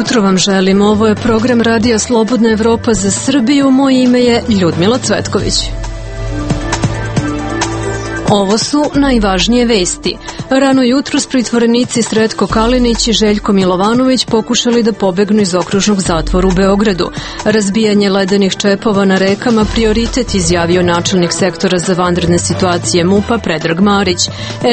jutro vam želim. Ovo je program Radija Slobodna Evropa za Srbiju. Moje ime je Ljudmila Cvetković. Ovo su najvažnije vesti. Rano jutros pritvorenici Sretko Kalinić i Željko Milovanović pokušali da pobegnu iz okružnog zatvora u Beogradu. Razbijanje ledenih čepova na rekama prioritet, izjavio načelnik sektora za vanredne situacije MUP-a Predrag Marić.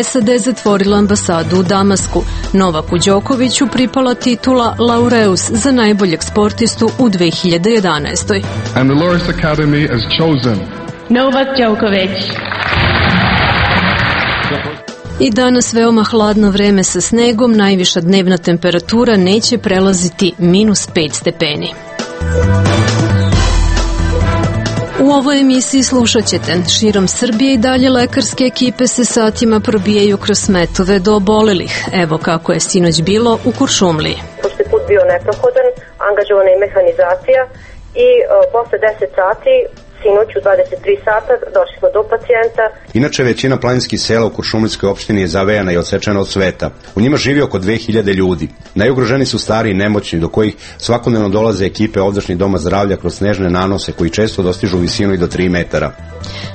SAD zatvorila ambasadu u Damasku. Novaku Đokoviću pripala titula Laureus za najboljeg sportistu u 2011. And the Laureus Academy has chosen Novak Đoković. I danas veoma hladno vreme sa snegom, najviša dnevna temperatura neće prelaziti -5 stepeni. U ovoj emisiji slušat ćete: širom Srbije i dalje lekarske ekipe se satima probijaju kroz smetove do obolelih. Evo kako je sinoć bilo u Kuršumliji. Pošto je put bio neprohodan, angažovana je mehanizacija i posle 10 sati sinoć u 23 sata došli smo do pacijenta. Inače, većina planinskih sela u Kuršumlijskoj opštini je zavejana i odsečena od sveta. U njima živi oko 2000 ljudi. Najugroženi su stari i nemoćni, do kojih svakodnevno dolaze ekipe ovdašnjih doma zdravlja kroz snežne nanose koji često dostižu visinu i do 3 metara.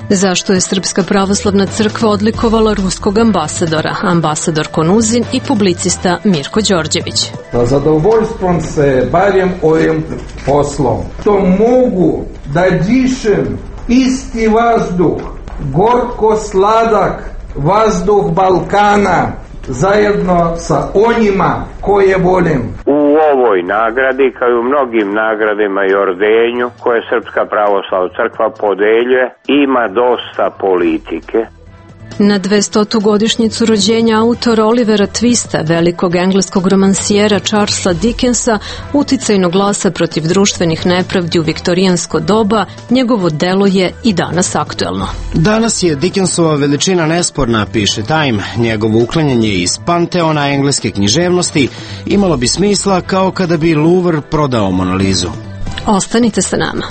Zašto je Srpska pravoslavna crkva odlikovala ruskog ambasadora, ambasador Konuzin i publicista Mirko Đorđević? Zadovoljstvom se bavim ovim poslom. To mogu da dišem isti vazduh, gorko-sladak vazduh Balkana, zajedno sa onima koje volim. U ovoj nagradi, kao i u mnogim nagradima i ordenju koje Srpska pravoslavna crkva podeljuje, ima dosta politike. Na 200. godišnjicu rođenja autora Olivera Twista, velikog engleskog romansijera Charlesa Dickensa, uticajnog glasa protiv društvenih nepravdi u viktorijansko doba, njegovo delo je i danas aktuelno. Danas je Dickensova veličina nesporna, piše Time. Njegovo uklanjanje iz panteona engleske književnosti imalo bi smisla kao kada bi Louvre prodao Mona Lizu. Ostanite sa nama.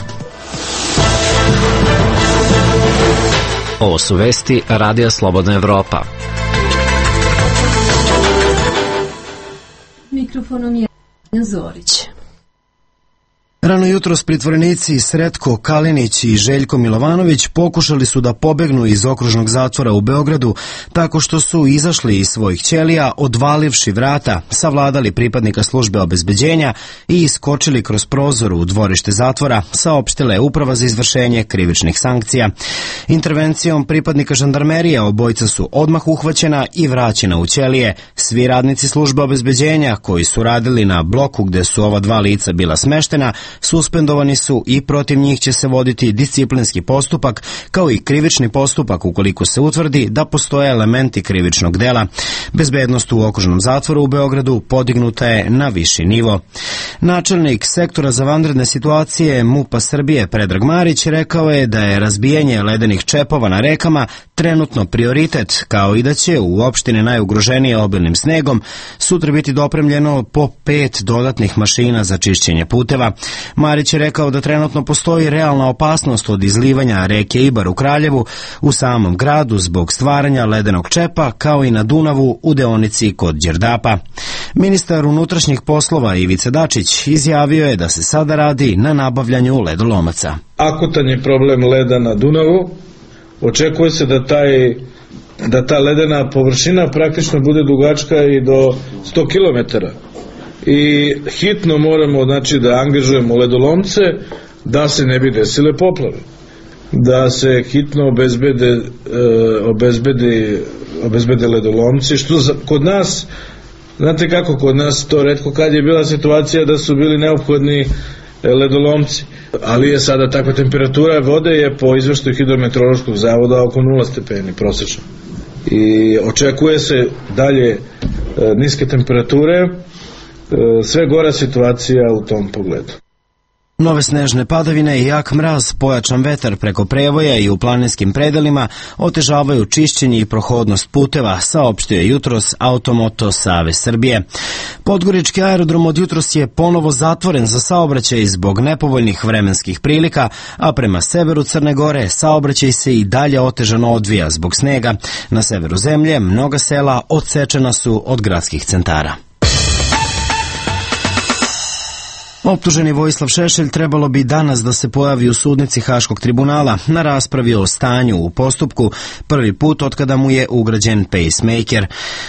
Ovo su vesti Radija Slobodna Evropa. Mikrofonom je Zorić. Rano jutros pritvorenici Sretko Kalinić i Željko Milovanović pokušali su da pobegnu iz okružnog zatvora u Beogradu tako što su izašli iz svojih ćelija, odvalivši vrata, savladali pripadnika službe obezbeđenja i iskočili kroz prozor u dvorište zatvora, saopštila je Uprava za izvršenje krivičnih sankcija. Intervencijom pripadnika žandarmerije obojica su odmah uhvaćena i vraćena u ćelije. Svi radnici službe obezbeđenja koji su radili na bloku gde su ova dva lica bila smeštena suspendovani su i protiv njih će se voditi disciplinski postupak kao i krivični postupak ukoliko se utvrdi da postoje elementi krivičnog dela. Bezbednost u okružnom zatvoru u Beogradu podignuta je na viši nivo. Načelnik sektora za vanredne situacije MUP-a Srbije Predrag Marić rekao je da je razbijanje ledenih čepova na rekama trenutno prioritet, kao i da će u opštine najugroženije obilnim snegom sutra biti dopremljeno po 5 dodatnih mašina za čišćenje puteva. Marić je rekao da trenutno postoji realna opasnost od izlivanja reke Ibar u Kraljevu u samom gradu zbog stvaranja ledenog čepa, kao i na Dunavu u deonici kod Đerdapa. Ministar unutrašnjih poslova Ivica Dačić izjavio je da se sada radi na nabavljanju ledolomaca. Akutan je problem leda na Dunavu. Očekuje se da ta ledena površina praktično bude dugačka i do 100 km. I hitno moramo da angažujemo ledolomce da se ne bi desile poplave, da se hitno obezbede ledolomci, što kod nas, znate kako, kod nas to retko kad je bila situacija da su bili neophodni ledolomci, ali je sada takva temperatura vode je po izveštaju Hidrometeorološkog zavoda oko 0 stepeni prosečno i očekuje se dalje niske temperature, sve gora situacija u tom pogledu. Nove snežne padavine i jak mraz, pojačan vetar preko prevoja i u planinskim predelima otežavaju čišćenje i prohodnost puteva, saopštio je jutros Automoto Savez Srbije. Podgorički aerodrom od jutros je ponovo zatvoren za saobraćaj zbog nepovoljnih vremenskih prilika, a prema severu Crne Gore saobraćaj se i dalje otežano odvija zbog snega. Na severu zemlje mnoga sela odsečena su od gradskih centara. Optuženi Vojislav Šešelj trebalo bi danas da se pojavi u sudnici Haškog tribunala na raspravi o stanju u postupku, prvi put otkada mu je ugrađen pacemaker.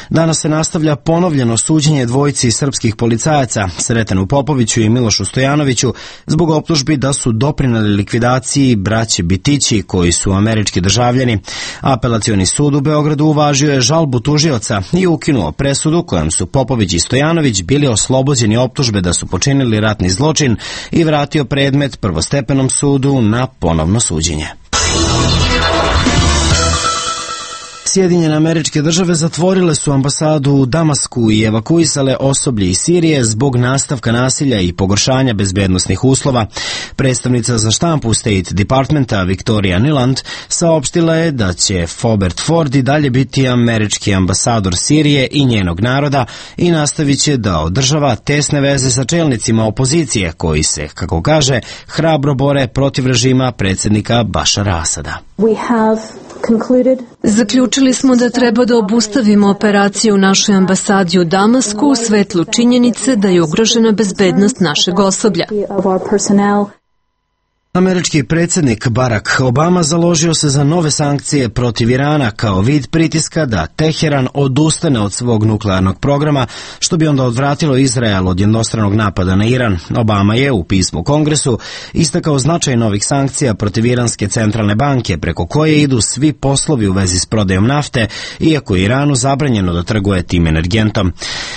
Danas se nastavlja ponovljeno suđenje dvojici srpskih policajaca, Sretenu Popoviću i Milošu Stojanoviću, zbog optužbi da su doprineli likvidaciji braće Bitići, koji su američki državljani. Apelacioni sud u Beogradu uvažio je žalbu tužioca i ukinuo presudu kojom su Popović i Stojanović bili oslobođeni optužbe da su počinili ratni zločin i vratio predmet prvostepenom sudu na ponovno suđenje. Sjedinjene Američke Države zatvorile su ambasadu u Damasku i evakuisale osoblje iz Sirije zbog nastavka nasilja i pogoršanja bezbednosnih uslova. Predstavnica za štampu State Departmenta Victoria Nuland saopštila je da će Robert Ford i dalje biti američki ambasador Sirije i njenog naroda i nastavit će da održava tesne veze sa čelnicima opozicije koji se, kako kaže, hrabro bore protiv režima predsjednika Bašara Asada. Zaključili smo da treba da obustavimo operaciju u našoj ambasadi u Damasku u svetlu činjenice da je ugrožena bezbednost našeg osoblja. Američki predsjednik Barack Obama založio se za nove sankcije protiv Irana kao vid pritiska da Teheran odustane od svog nuklearnog programa, što bi onda odvratilo Izrael od jednostranog napada na Iran. Obama je u pismu Kongresu istakao značaj novih sankcija protiv Iranske centralne banke, preko koje idu svi poslovi u vezi s prodajom nafte, iako je Iranu zabranjeno da trguje tim energentom.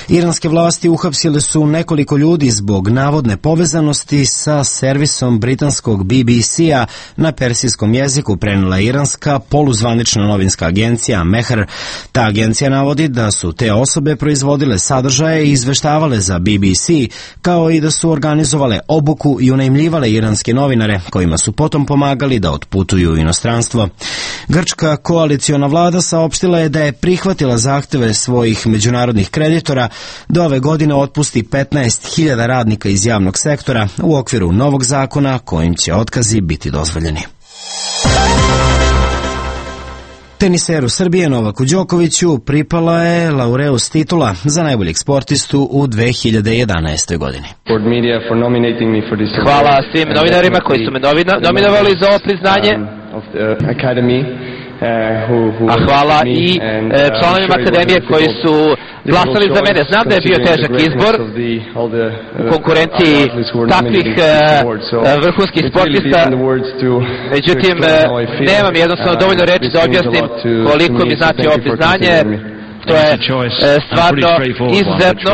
Iranske vlasti uhapsile su nekoliko ljudi zbog navodne povezanosti sa servisom britanskog BBC-a na persijskom jeziku, prenela iranska poluzvanična novinska agencija Mehr. Ta agencija navodi da su te osobe proizvodile sadržaje i izveštavale za BBC, kao i da su organizovale obuku i unajmljivale iranske novinare, kojima su potom pomagali da otputuju u inostranstvo. Grčka koaliciona vlada saopštila je da je prihvatila zahteve svojih međunarodnih kreditora da ove godine otpusti 15.000 radnika iz javnog sektora u okviru novog zakona kojim će otkazi biti dozvoljeni. Teniseru Srbije Novaku Đokoviću pripala je Laureus titula za najboljeg sportistu u 2011. godini. Hvala svim novinarima koji su me nominovali za ovo priznanje. A hvala i članovima akademije koji su glasali za mene. Znam da je bio težak izbor u konkurenciji takvih vrhunskih sportista, međutim nemam jednostavno dovoljno reči da objasnim koliko mi znači ovo priznanje. To je stvarno izuzetno.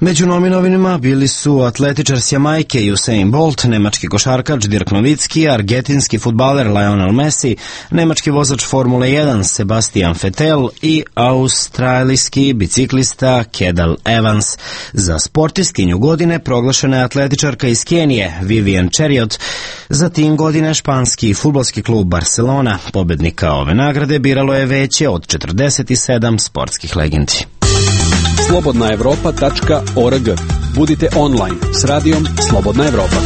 Među nominovanima bili su atletičar s Jamajke Usain Bolt, nemački košarkač Dirk Novicki, argentinski fudbaler Lionel Messi, nemački vozač Formule 1 Sebastian Vettel i australijski biciklista Cadel Evans. Za sportistkinju godine proglašena je atletičarka iz Kenije Vivian Cheriot, za tim godine španski fudbalski klub Barcelona. Pobednika ove nagrade biralo je veće od 47 sportskih legendi. slobodnaevropa.org. Budite online s radijom Slobodna Evropa.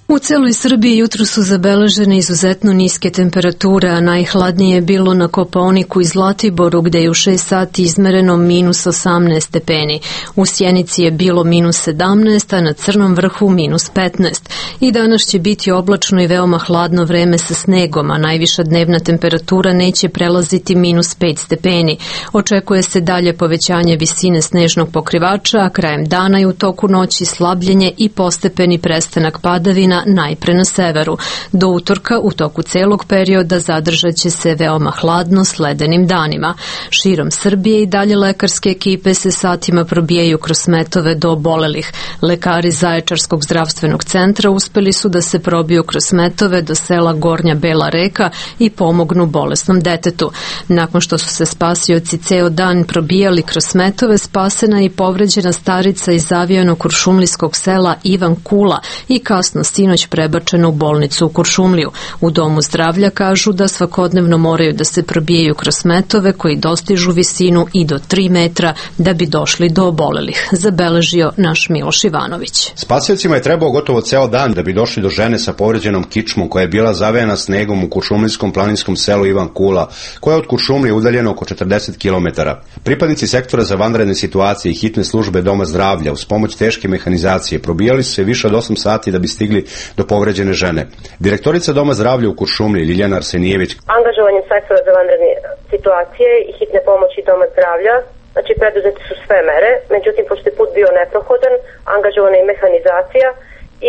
U celoj Srbiji jutro su zabeležene izuzetno niske temperature, a najhladnije je bilo na Kopaoniku i Zlatiboru, gde je u 6 sati izmereno minus 18 stepeni. U Sjenici je bilo minus 17, a na Crnom vrhu minus 15. I danas će biti oblačno i veoma hladno vreme sa snegom, a najviša dnevna temperatura neće prelaziti minus 5 stepeni. Očekuje se dalje povećanje visine snežnog pokrivača, a krajem dana i u toku noći slabljenje i postepeni prestanak padavina najpre na severu. Do utorka u toku celog perioda zadržat će se veoma hladno s ledenim danima. Širom Srbije i dalje lekarske ekipe se satima probijaju kroz smetove do obolelih. Lekari Zaječarskog zdravstvenog centra uspeli su da se probiju kroz smetove do sela Gornja Bela Reka i pomognu bolesnom detetu. Nakon što su se spasioci ceo dan probijali kroz smetove, spasena i povređena starica iz zavijanog kuršumlijskog sela Ivan Kula i kasno sinoć sinoć prebačena u bolnicu u Kuršumliju. U domu zdravlja kažu da svakodnevno moraju da se probijaju kroz smetove koji dostižu visinu i do 3 metra da bi došli do obolelih, zabeležio naš Miloš Ivanović. Spasiocima je trebao gotovo ceo dan da bi došli do žene sa povređenom kičmom koja je bila zavejana snegom u kuršumlijskom planinskom selu Ivan Kula, koja je od Kuršumlije udaljena oko 40 km. Pripadnici sektora za vanredne situacije i hitne službe doma zdravlja uz pomoć teške mehanizacije probijali su se više od 8 sati da bi stigli do povređene žene. Direktorica doma zdravlja u Kuršumliji Ljiljana Arsenijević. Angažovanjem sektora za vanredne situacije i hitne pomoći doma zdravlja, znači preduzete su sve mere, međutim pošto je put bio neprohodan, angažovana je mehanizacija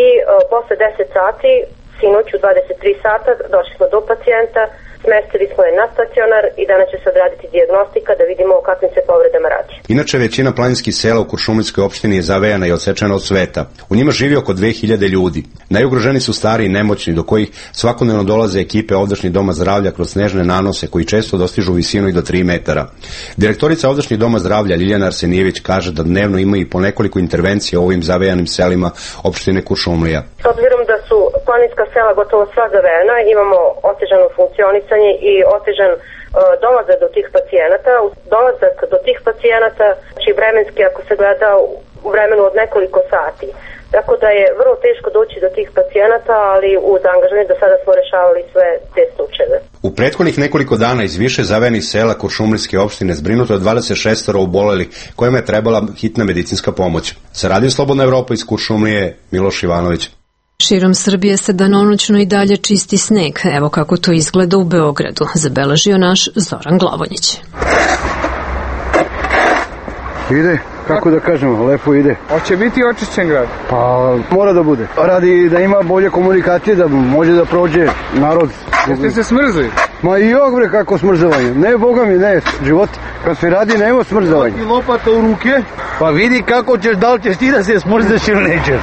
i posle 10 sati, sinoć u 23 sata, došli smo do pacijenta, smestili smo je na stacionar i danas će se odraditi dijagnostika da vidimo o kakvim se povredama radi. Inače, većina planinskih sela u Kuršumlijskoj opštini je zavejana i odsečena od sveta. U njima živi oko 2000 ljudi. Najugroženi su stari i nemoćni, do kojih svakodnevno dolaze ekipe ovdašnjih doma zdravlja kroz snežne nanose koji često dostižu visinu i do 3 metara. Direktorica ovdašnjih doma zdravlja Ljiljana Arsenijević kaže da dnevno ima i po nekoliko intervencija u ovim zavejanim selima opštine Kuršumlija. S obzirom da su planinska sela gotovo sva zavejana, imamo otežano funkcionisanje i otežan dolazak do tih pacijenata. Dolazak do tih pacijenata, znači vremenski ako se gleda u vremenu od nekoliko sati. Tako da je vrlo teško doći do tih pacijenata, ali uz angažovanje do sada smo rešavali sve te slučajeve. U prethodnih nekoliko dana iz više zavejanih sela Kuršumlijske opštine zbrinuto je 26 obolelih kojima je trebala hitna medicinska pomoć. Sa Radio Slobodna Evropa iz Kuršumlije, Miloš Ivanović. Širom Srbije se danonoćno i dalje čisti sneg. Evo kako to izgleda u Beogradu, zabeležio naš Zoran Glavonjić. Ide, kako da kažemo, lepo ide. Hoće biti očišćen grad? Pa mora da bude. Radi da ima bolje komunikacije, da može da prođe narod. Jeste se smrzli? Ma i jok bre kako smrzavanje. Ne, boga mi, ne, život. Kad se radi, nema smrzavanje. I lopata u ruke? Pa vidi kako ćeš, da li ćeš ti da se smrzaš ili nećeš.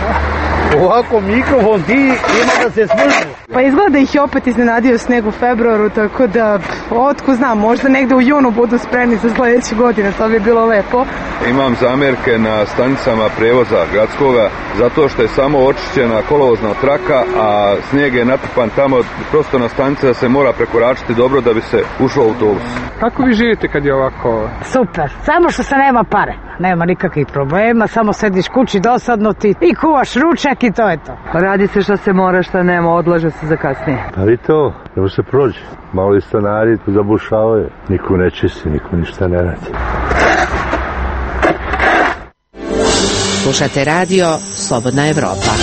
Ovako mikrofon ti ima da se smrzi. Pa izgleda da ih je opet iznenadio sneg u februaru, tako da, otko znam, možda negde u junu budu spremni za sledeće godine, to bi bilo lepo. Imam zamerke na stanicama prevoza gradskoga, zato što je samo očišćena kolovozna traka, a snijeg je natrpan tamo prosto na stanice da se mora prekoračiti dobro da bi se ušlo u autobus. Kako vi živite kad je ovako? Super, samo što se nema pare. Nema nikakvih problema, samo sediš kući dosadno ti i kuvaš ručak i to je to. Radi se šta se mora, šta nema, odlaže se za kasnije. Pa vi to, nema se prođe. Malo i stanari tu zabušavaju, niko ne čisti, niko ništa ne radi. Slušate radio Slobodna Evropa.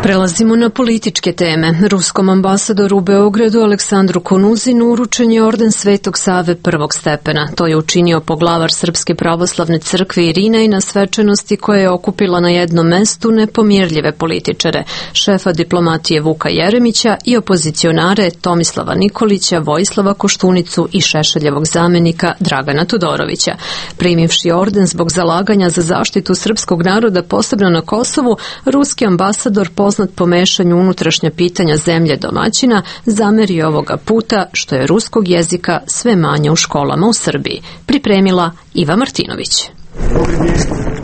Prelazimo na političke teme. Ruskom ambasadoru u Beogradu Aleksandru Konuzinu uručen je orden Svetog Save prvog stepena. To je učinio poglavar Srpske pravoslavne crkve Irinej na svečanosti koja je okupila na jednom mestu nepomirljive političare, šefa diplomatije Vuka Jeremića i opozicionare Tomislava Nikolića, Vojislava Koštunicu i Šešeljevog zamenika Dragana Todorovića. Primivši orden zbog zalaganja za zaštitu srpskog naroda posebno na Kosovu, ruski ambasador poznat po mešanju unutrašnja pitanja zemlje domaćina, zamerio ovoga puta što je ruskog jezika sve manje u školama u Srbiji. Pripremila Iva Martinović.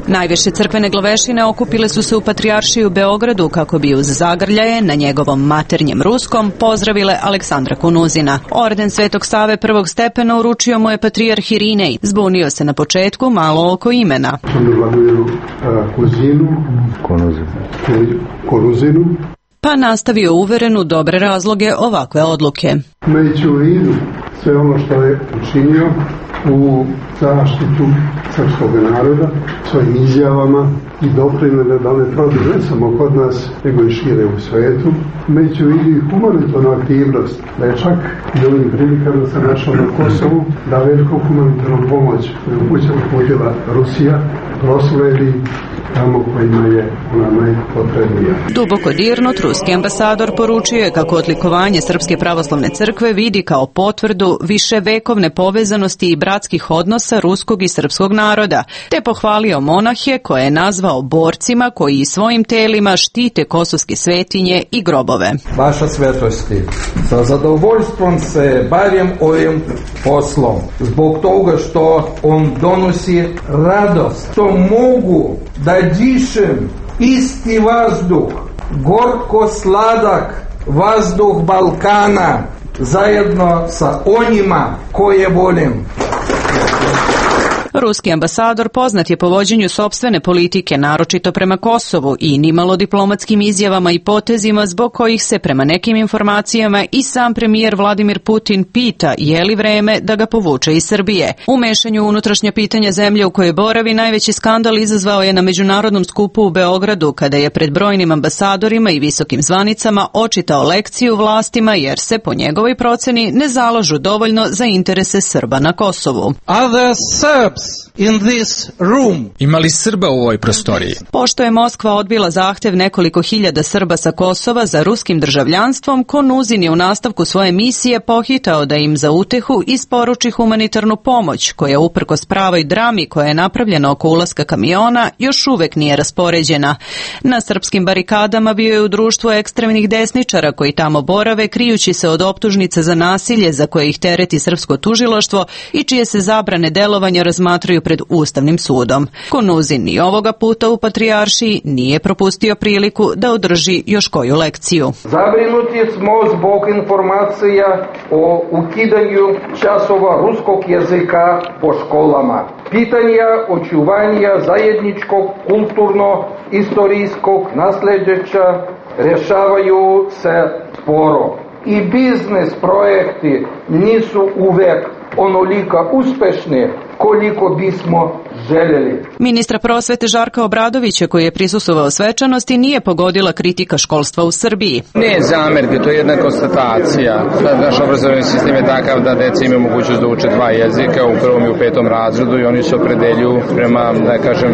Najviše crkvene glavešine okupile su se u Patrijaršiji u Beogradu kako bi uz zagrljaje na njegovom maternjem ruskom pozdravile Aleksandra Konuzina. Orden Svetog Save prvog stepena uručio mu je patrijarh Irinej. Zbunio se na početku malo oko imena. Pa nastavio uveren u dobre razloge ovakve odluke. Imajući u vidu sve ono što je učinio u zaštitu srpskog naroda, svojim izjavama i doprinele da ne produže ne samo kod nas, nego i šire u svetu, imajući u vidu i humanitarnu aktivnost, da je čak i ovim prilikama se našao na Kosovu, da veliku humanitarnu pomoć koju uputila Rusija prosledi tamo kojima je ona najpotrebnija. Duboko dirnut, ruski ambasador poručio je kako odlikovanje Srpske pravoslavne crkve vidi kao potvrdu viševekovne povezanosti i bratskih odnosa ruskog i srpskog naroda, te pohvalio monahe koje je nazvao borcima koji svojim telima štite kosovske svetinje i grobove. Vaša svetosti, sa zadovoljstvom se bavim ovim poslom, zbog toga što on donosi radost, što mogu da dišem isti vazduh gorko-sladak vazduh Balkana zajedno sa onima koje volim. Ruski ambasador poznat je po vođenju sopstvene politike, naročito prema Kosovu i nimalo diplomatskim izjavama i potezima zbog kojih se prema nekim informacijama i sam premijer Vladimir Putin pita je li vreme da ga povuče iz Srbije. U mešanju unutrašnja pitanja zemlje u kojoj boravi najveći skandal izazvao je na međunarodnom skupu u Beogradu kada je pred brojnim ambasadorima i visokim zvanicama očitao lekciju vlastima jer se po njegovoj proceni ne zalažu dovoljno za interese Srba na Kosovu. In this room. Imali Srba u ovoj prostoriji? Pošto je Moskva odbila zahtev nekoliko hiljada Srba sa Kosova za ruskim državljanstvom, Konuzin je u nastavku svoje misije pohitao da im za utehu isporuči humanitarnu pomoć, koja uprkos pravoj drami koja je napravljena oko ulaska kamiona još uvek nije raspoređena. Na srpskim barikadama bio je u društvu ekstremnih desničara koji tamo borave, krijući se od optužnice za nasilje za koje ih tereti srpsko tužilaštvo i čije se zabrane delovanja razmatraju pred Ustavnim sudom. Konuzin ni ovoga puta u Patrijaršiji nije propustio priliku da održi još koju lekciju. Zabrinuti smo zbog informacija o ukidanju časova ruskog jezika po školama. Pitanja očuvanja zajedničkog kulturno-istorijskog nasljeđa rješavaju se sporo. I biznes projekti nisu uvek onolika uspešni koliko bismo željeli. Ministra prosvete Žarka Obradovića, koji je prisustvovao svečanosti, nije pogodila kritika školstva u Srbiji. Ne zamerke, to je jedna konstatacija. Naš obrazovni sistem je takav da deca imaju mogućnost da uče dva jezika u prvom i u petom razredu i oni se opredeljuju prema, da kažem,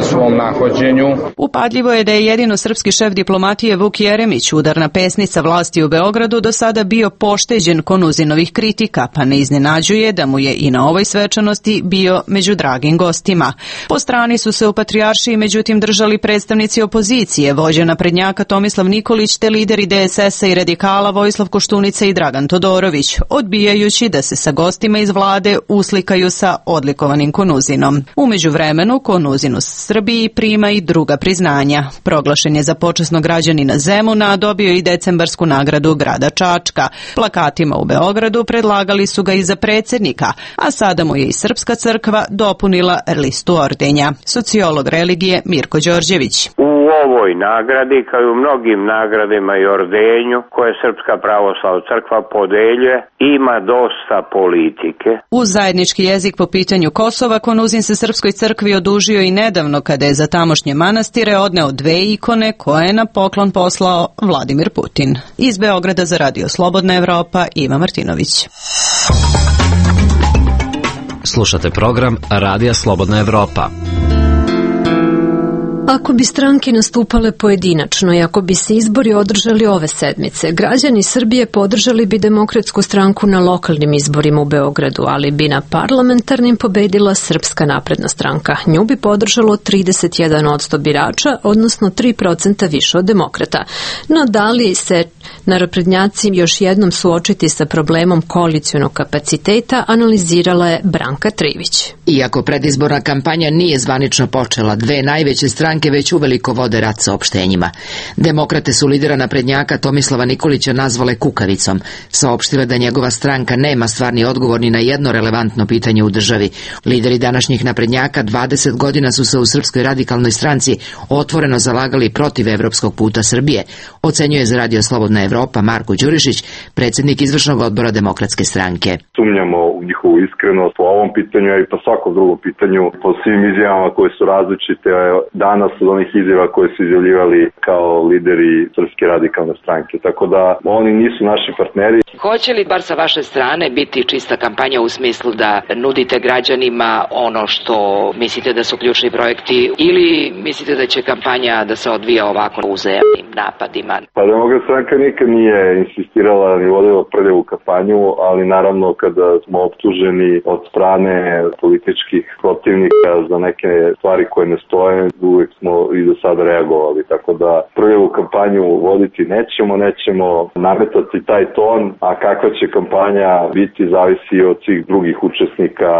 svom nahođenju. Upadljivo je da je jedino srpski šef diplomatije Vuk Jeremić, udarna pesnica vlasti u Beogradu, do sada bio pošteđen Konuzinovih kritika, pa ne iznenađuje da mu je i na ovoj svečanosti bio među dragim gostima. Po strani su se u Patrijaršiji međutim držali predstavnici opozicije, vođa naprednjaka Tomislav Nikolić te lideri DSS-a i radikala Vojislav Koštunica i Dragan Todorović, odbijajući da se sa gostima iz vlade uslikaju sa odlikovanim Konuzinom. U međuvremenu Konuzin u Srbiji prima i druga priznanja. Proglašen je za počasnog građanina Zemuna, a dobio i decembarsku nagradu grada Čačka. Plakatima u Beogradu predlagali su ga i za predsjednika, a sada mu je i Srpska crkva dopunila listu ordenja. Sociolog religije Mirko Đorđević. U ovoj nagradi, kao i u mnogim nagradima i ordenju koje Srpska pravoslavna crkva podeljuje, ima dosta politike. Uz zajednički jezik po pitanju Kosova, Konuzin se Srpskoj crkvi odužio i nedavno kada je za tamošnje manastire odneo dve ikone koje je na poklon poslao Vladimir Putin. Iz Beograda za Radio Slobodna Evropa, Iva Martinović. Slušate program Radija Slobodna Evropa. Ako bi stranke nastupale pojedinačno i ako bi se izbori održali ove sedmice, građani Srbije podržali bi Demokratsku stranku na lokalnim izborima u Beogradu, ali bi na parlamentarnim pobedila Srpska napredna stranka. Nju bi podržalo 31% birača, odnosno 3% više od demokrata. No da li se naprednjaci još jednom suočiti sa problemom koalicionog kapaciteta, analizirala je Branka Trivić. Iako predizborna kampanja nije zvanično počela, dve najveće stranke već uveliko vode rat saopštenjima. Demokrate su lidera naprednjaka Tomislava Nikolića nazvale kukavicom. Saopštile da njegova stranka nema stvarni odgovor ni na jedno relevantno pitanje u državi. Lideri današnjih naprednjaka 20 godina su se u Srpskoj radikalnoj stranci otvoreno zalagali protiv evropskog puta Srbije, ocenjuje za Radio Slobodna Evropa Marko Đurišić, predsjednik izvršnog odbora Demokratske stranke. Sumnjamo u njihovu iskrenost po ovom pitanju i po svakom drugom pitanju, po svim izjavama koje su različite danas od onih izjava koje su izjavljivali kao lideri Srpske radikalne stranke. Tako da oni nisu naši partneri. Hoće li bar sa vaše strane biti čista kampanja u smislu da nudite građanima ono što mislite da su ključni projekti ili mislite da će kampanja da se odvija ovako uzajamnim napadima? Pa Demokratska stranka nikad nije insistirala ni vodila prljavu kampanju, ali naravno kada smo optuženi od strane političkih protivnika za neke stvari koje ne stoje, uvek smo i do sada reagovali. Tako da prljavu kampanju voditi nećemo nametati taj ton, a kakva će kampanja biti zavisi od svih drugih učesnika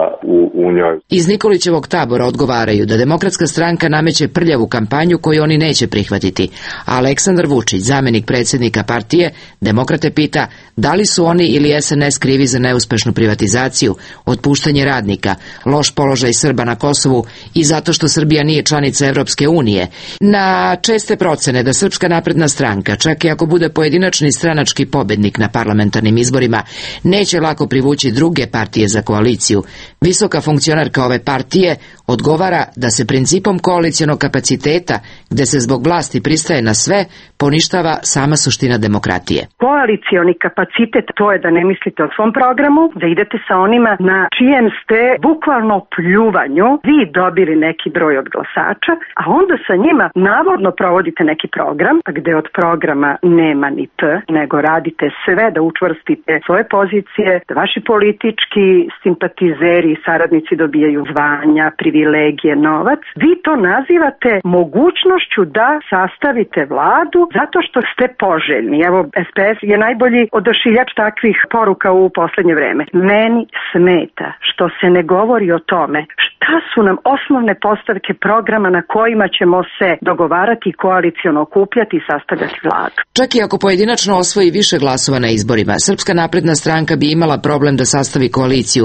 u njoj. Iz Nikolićevog tabora odgovaraju da Demokratska stranka nameće prljavu kampanju koju oni neće prihvatiti, a Aleksandar Vučić, zamenik predsjednika partije, Demokrate pita da li su oni ili SNS krivi za neuspešnu privatizaciju, otpuštanje radnika, loš položaj Srba na Kosovu i zato što Srbija nije članica Evropske unije. Na česte procene da Srpska napredna stranka, čak i ako bude pojedinačni stranački pobednik na parlamentarnim izborima, neće lako privući druge partije za koaliciju. Visoka funkcionarka ove partije odgovara da se principom koalicionog kapaciteta, gde se zbog vlasti pristaje na sve, poništava sama suština demokratije. Koalicioni kapacitet, to je da ne mislite o svom programu, da idete sa onima na čijem ste bukvalno pljuvanju vi dobili neki broj od glasača, a onda sa njima navodno provodite neki program, gde od programa nema ni P, nego radite sve da učvrstite svoje pozicije, da vaši politički simpatizeri i saradnici dobijaju zvanja, privilegije, novac. Vi to nazivate mogućnošću da sastavite vladu zato što ste poželjni. Evo, SPS je najbolji odašiljač takvih poruka u poslednje vreme. Meni smeta što se ne govori o tome šta su nam osnovne postavke programa na kojima ćemo se dogovarati, koaliciono okupljati i sastavljati vladu. Čak i ako pojedinačno osvoji više glasova na izborima, Srpska napredna stranka bi imala problem da sastavi koaliciju,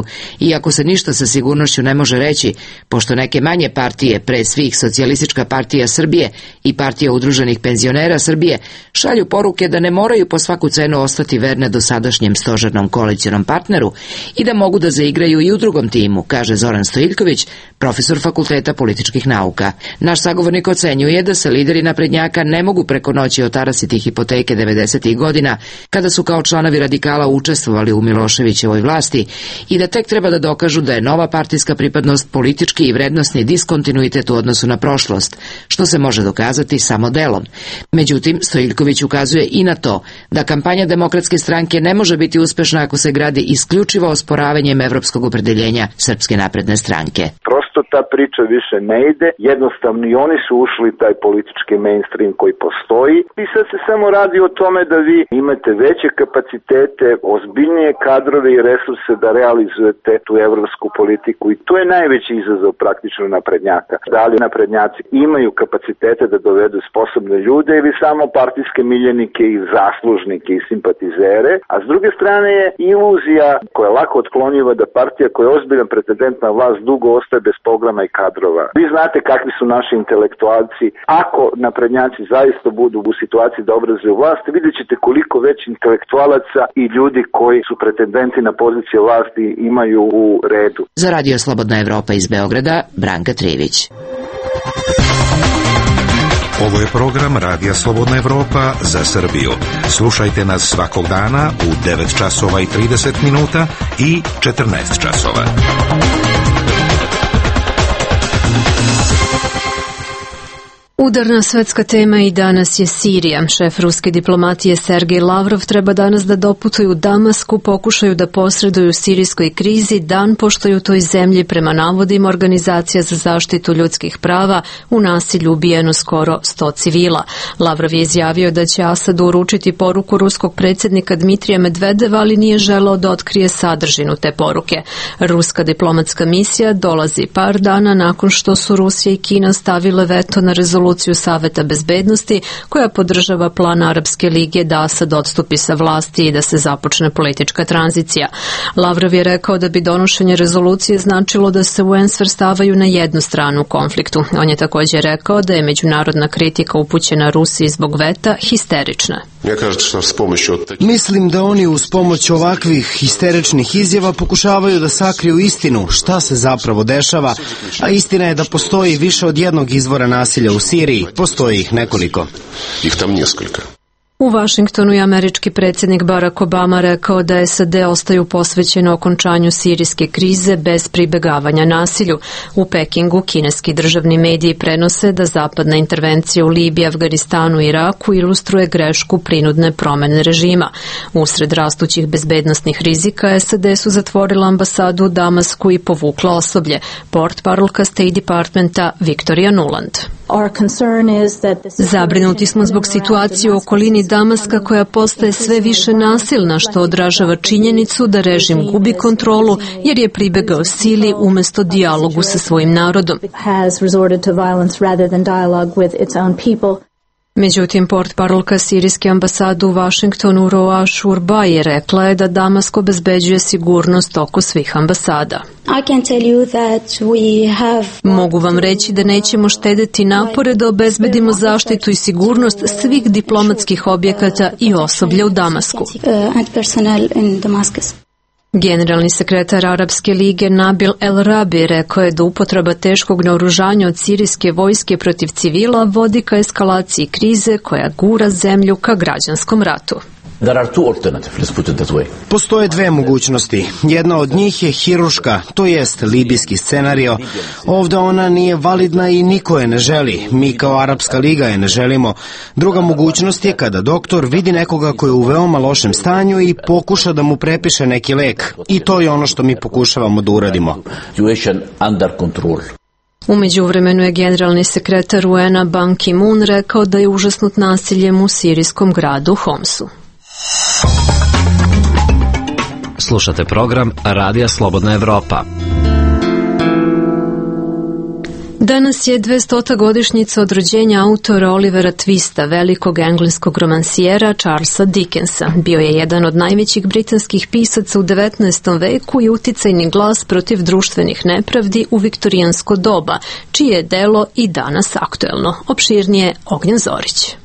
iako se ništa sa sigurnošću ne može reći, pošto neke manje partije, pre svih Socijalistička partija Srbije i Partija udruženih penzionera Srbije, šalju poruke da ne moraju po svaku cenu ostati verne dosadašnjem stožernom koalicionom partneru i da mogu da zaigraju i u drugom timu, kaže Zoran Stojiljković, profesor Fakulteta političkih nauka. Naš sagovornik ocenjuje da se lideri naprednjaka ne mogu preko noći otarasiti hipoteke 90. godina, kada su kao članovi radikala učestvovali u Miloševićevoj vlasti, i da tek treba da dokažu da je nova partijska pripadnost politički i vrednosni diskontinuitet u odnosu na prošlost, što se može dokazati samo delom. Međutim, Stojiljković ukazuje i na to da kampanja Demokratske stranke ne može biti uspešna ako se gradi isključivo osporavanjem evropskog opredeljenja Srpske napredne stranke. Prosto ta priča više ne ide, jednostavno i oni su ušli taj politički mainstream koji postoji i sad se samo radi o tome da vi imate veće kapacitete, ozbiljnije kadrove i resurse da realizujete tu evropsku politiku i to je najveći izazov praktično naprednjaka. Da li naprednjaci imaju kapacitete da dovedu sposobne ljude ili samo partijske miljenike i zaslužnike i simpatizere, a s druge strane je iluzija koja je lako otklonjiva da partija koja je ozbiljan pretendent na vlast dugo ostaje bez programa i kadrova. Vi znate kakvi su naši intelektualci. Ako naprednjaci zaista budu u situaciji da obrazuju vlast, vidjet ćete koliko već intelektualaca i ljudi koji su pretendenti na pozicije vlasti imaju u redu. Za Radio Slobodna Evropa iz Beograda, Branka Trivić. Ovo je program Radija Slobodna Evropa za Srbiju. Slušajte nas svakog dana u 9 časova i 30 minuta i 14 časova. Udarna svetska tema i danas je Sirija. Šef ruske diplomatije Sergej Lavrov treba danas da doputuje u Damasku, pokušaju da posreduju u sirijskoj krizi, dan pošto je u toj zemlji prema navodima Organizacija za zaštitu ljudskih prava u nasilju ubijeno skoro 100 civila. Lavrov je izjavio da će Asadu uručiti poruku ruskog predsjednika Dmitrija Medvedeva, ali nije želeo da otkrije sadržinu te poruke. Ruska diplomatska misija dolazi par dana nakon što su Rusija i Kina stavile veto na rezoluciju Saveta bezbednosti koja podržava plan Arapske lige da Asad odstupi sa vlasti i da se započne politička tranzicija. Lavrov je rekao da bi donošenje rezolucije značilo da se UN svrstavaju na jednu stranu u konfliktu. On je također rekao da je međunarodna kritika upućena Rusiji zbog veta histerična. Mislim da oni uz pomoć ovakvih histeričnih izjava pokušavaju da sakriju istinu šta se zapravo dešava, a istina je da postoji više od jednog izvora nasilja u Siriji, postoji ih nekoliko. U Vašingtonu je američki predsjednik Barack Obama rekao da SAD ostaju posvećeno okončanju sirijske krize bez pribegavanja nasilju. U Pekingu kineski državni mediji prenose da zapadna intervencija u Libiji, Afganistanu i Iraku ilustruje grešku prinudne promene režima. Usred rastućih bezbednosnih rizika SAD su zatvorila ambasadu u Damasku i povukla osoblje. Portparolka State Departmenta Victoria Nuland. Zabrinuti smo zbog situacije u okolini Damaska koja postaje sve više nasilna, što odražava činjenicu da režim gubi kontrolu jer je pribegao sili umjesto dijalogu sa svojim narodom. Međutim, portparolka sirijske ambasade u Vašingtonu Roa Shurba rekla je da Damask obezbeđuje sigurnost oko svih ambasada. Mogu vam reći da nećemo štedeti napore da obezbedimo zaštitu i sigurnost svih diplomatskih objekata i osoblja u Damasku. Generalni sekretar Arapske lige Nabil El Rabi rekao je da upotreba teškog naoružanja od sirijske vojske protiv civila vodi ka eskalaciji krize koja gura zemlju ka građanskom ratu. Postoje dve mogućnosti. Jedna od njih je hiruška, to jest libijski scenario. Ovdje ona nije validna i niko je ne želi. Mi kao Arapska liga je ne želimo. Druga mogućnost je kada doktor vidi nekoga koji je u veoma lošem stanju i pokuša da mu prepiše neki lek. I to je ono što mi pokušavamo da uradimo. U međuvremenu je generalni sekretar UN-a Ban Ki-moon rekao da je užasnut nasiljem u sirijskom gradu Homsu. Slušate program Radija Slobodna Evropa. Danas je 200. godišnjica od rođenja autora Olivera Twista, velikog engleskog romansijera Charlesa Dickensa. Bio je jedan od najvećih britanskih pisaca u 19. veku i uticajni glas protiv društvenih nepravdi u viktorijansko doba, čije je delo i danas aktuelno. Opširnije Ognjen Zorić.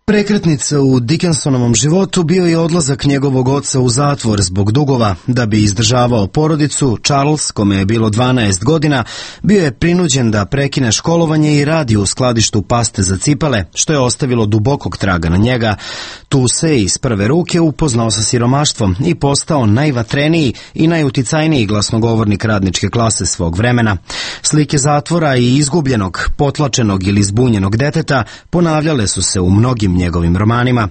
Prekretnica u Dickensonovom životu bio je odlazak njegovog oca u zatvor zbog dugova. Da bi izdržavao porodicu, Charles, kome je bilo 12 godina, bio je prinuđen da prekine školovanje i radi u skladištu paste za cipele, što je ostavilo dubokog traga na njega. Tu se iz prve ruke upoznao sa siromaštvom i postao najvatreniji i najuticajniji glasnogovornik radničke klase svog vremena. Slike zatvora i izgubljenog, potlačenog ili zbunjenog deteta ponavljale su se u mnogim njegovim romanima.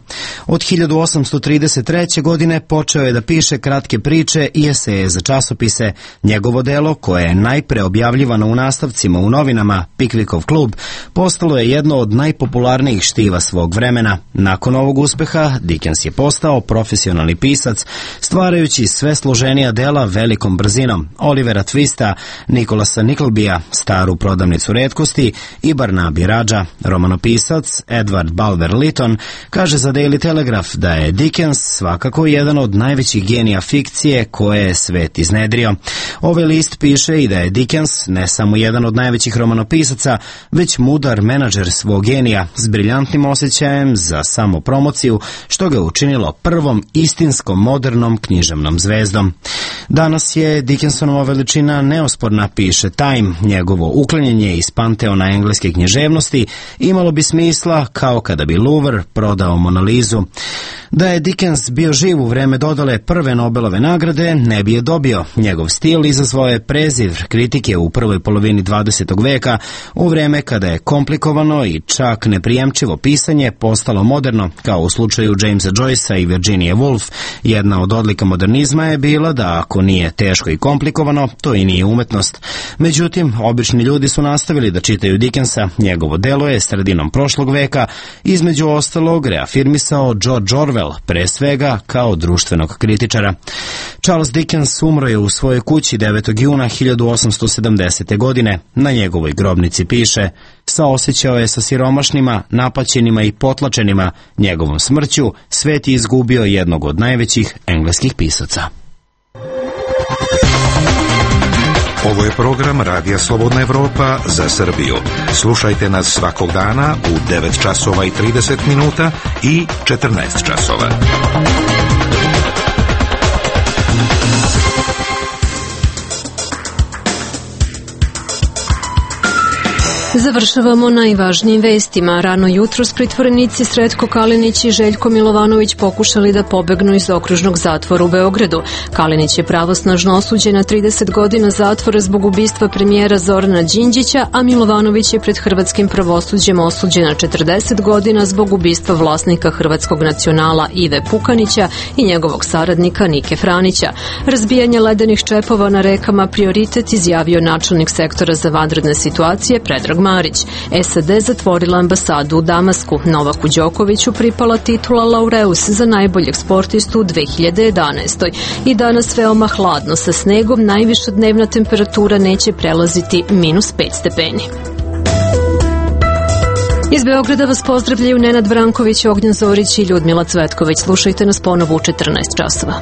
Od 1833. godine počeo je da piše kratke priče i eseje za časopise. Njegovo delo, koje je najpre objavljivano u nastavcima u novinama Pickwickov klub, postalo je jedno od najpopularnijih štiva svog vremena. Nakon ovog uspeha, Dickens je postao profesionalni pisac, stvarajući sve složenija dela velikom brzinom. Olivera Twista, Nikolasa Nicklebya, Staru prodavnicu retkosti i Barnaby Radža. Romanopisac Edward Bulwer Lytton kaže za Daily Telegraph da je Dickens svakako jedan od najvećih genija fikcije koje je svet iznedrio. Ovaj list piše i da je Dickens ne samo jedan od najvećih romanopisaca, već mudar menadžer svog genija s briljantnim osjećajem za samopromociju, što ga je učinilo prvom istinskom modernom književnom zvezdom. Danas je Dickensonova veličina neosporna, piše Time. Njegovo uklanjanje iz panteona engleske književnosti imalo bi smisla kao kada bi Louvre prodao Mona Lizu. Da je Dickens bio živ u vreme dodale prve Nobelove nagrade, ne bi je dobio. Njegov stil izazvao je prezir kritike u prvoj polovini 20. veka, u vreme kada je komplikovano i čak neprijemčivo pisanje postalo moderno, kao u slučaju Jamesa Joycea i Virginia Woolf. Jedna od odlika modernizma je bila da ako nije teško i komplikovano, to i nije umetnost. Međutim, obični ljudi su nastavili da čitaju Dickensa. Njegovo delo je sredinom prošlog veka između ostalog reafirmisao George Orwell, pre svega kao društvenog kritičara. Charles Dickens umro je u svojoj kući 9. juna 1870. godine. Na njegovoj grobnici piše: saosećao je sa siromašnima, napaćenima i potlačenima. Njegovom smrću svet je izgubio jednog od najvećih engleskih pisaca. Ovo je program Radija Slobodna Evropa za Srbiju. Slušajte nas svakog dana u 9 časova i 30 minuta i 14 časova. Završavamo najvažnijim vestima. Rano jutros pritvorenici Sretko Kalinić i Željko Milovanović pokušali da pobegnu iz okružnog zatvora u Beogradu. Kalinić je pravosnažno osuđen na 30 godina zatvora zbog ubistva premijera Zorana Đinđića, a Milovanović je pred hrvatskim pravosuđem osuđen na 40 godina zbog ubistva vlasnika Hrvatskog nacionala Ive Pukanića i njegovog saradnika Nike Franića. Razbijanje ledenih čepova na rekama prioritet, izjavio načelnik sektora za vanredne situacije Predrag Marić. SAD zatvorila ambasadu u Damasku. Novaku Đokoviću pripala titula Laureus za najboljeg sportistu u 2011. I danas veoma hladno sa snegom, najviša dnevna temperatura neće prelaziti -5 stepeni. Iz Beograda vas pozdravljaju Nenad Branković, Ognjen Zorić i Ljudmila Cvetković. Slušajte nas ponovo u 14 časova.